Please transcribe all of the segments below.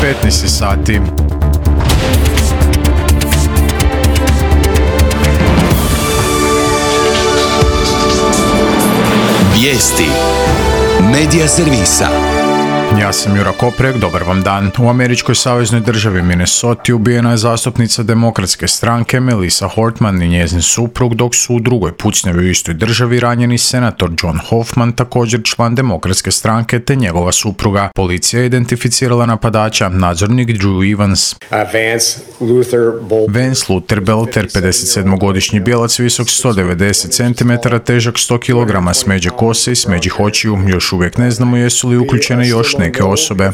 15 sati. Vijesti Medija servisa. Ja sam Jura Koprek, dobar vam dan. U američkoj saveznoj državi Minnesota ubijena je zastupnica demokratske stranke Melissa Hortman i njezin suprug, dok su u drugoj pucnjavi u istoj državi ranjeni senator John Hoffman, također član demokratske stranke, te njegova supruga. Policija je identificirala napadača, nadzornik Drew Evans. Vance Luther Belter, 57-godišnji bijelac, visok 190 cm, težak 100 kg, smeđe kose i smeđih očiju. Još uvijek ne znamo jesu li uključene još neke osobe.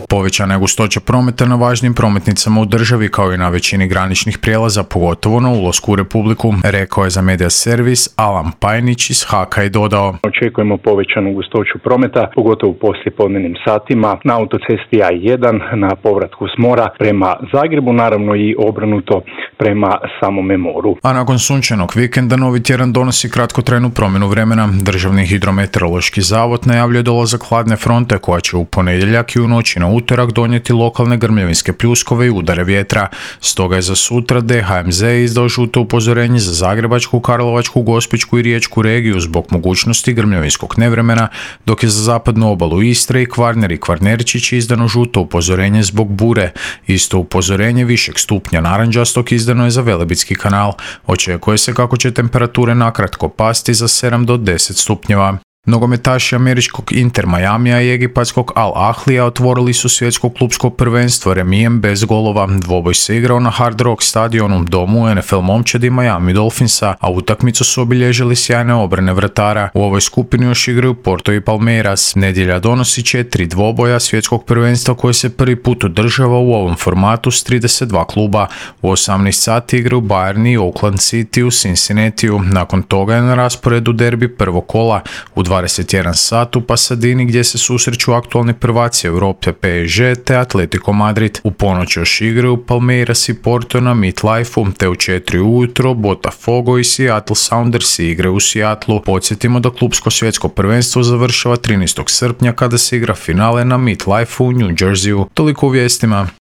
Povećana je gustoća prometa na važnim prometnicama u državi, kao i na većini graničnih prijelaza, pogotovo na ulasku u Republiku, rekao je za Media Servis Alan Pajnić iz HAK-a i dodao: Očekujemo povećanu gustoću prometa, pogotovo u poslijepodnevnim satima, na autocesti A1 na povratku s mora prema Zagrebu, naravno i obrnuto prema samome moru. A nakon sunčanog vikenda novi tjedan donosi kratkotrajnu promjenu vremena. Državni hidrometeorološki zavod najavljuje dolazak hladne fronte koja će u ponedjeljak i u noći na utorak donijeti lokalne grmljavinske pljuskove i udare vjetra. Stoga je za sutra DHMZ izdao žuto upozorenje za Zagrebačku, Karlovačku, Gospićku i Riječku regiju zbog mogućnosti grmljavinskog nevremena, dok je za zapadnu obalu Istre i Kvarner i Kvarnerčić izdano žuto upozorenje zbog bure. Isto upozorenje višeg stupnja narančastog izdano je za Velebitski kanal. Očekuje se kako će temperature nakratko pasti za 7 do 10 stupnjeva. Nogometaši američkog Inter Miamija i egipatskog Al Ahlija otvorili su svjetsko klupsko prvenstvo remijem bez golova. Dvoboj se igrao na Hard Rock stadionu, domu NFL momčadi Miami Dolphinsa, a utakmicu su obilježili sjajne obrane vratara. U ovoj skupini još igraju Porto i Palmeiras. Nedjelja donosi 4 dvoboja svjetskog prvenstva koje se prvi put održava u ovom formatu s 32 kluba. U 18 sati igraju Bayern i Oakland City u Cincinnatiju. Nakon toga je na rasporedu derbi prvog kola. U 21 sat u Pasadini gdje se susreću aktualni prvaci Europe PSG te Atletico Madrid. U ponoć još igraju Palmeiras i Porto na MetLife-u, te u 4 ujutro Botafogo i Seattle Sounders igraju u Seattlu. Podsjetimo da klupsko svjetsko prvenstvo završava 13. srpnja kada se igra finale na MetLife-u u New Jerseyu. Toliko u vijestima.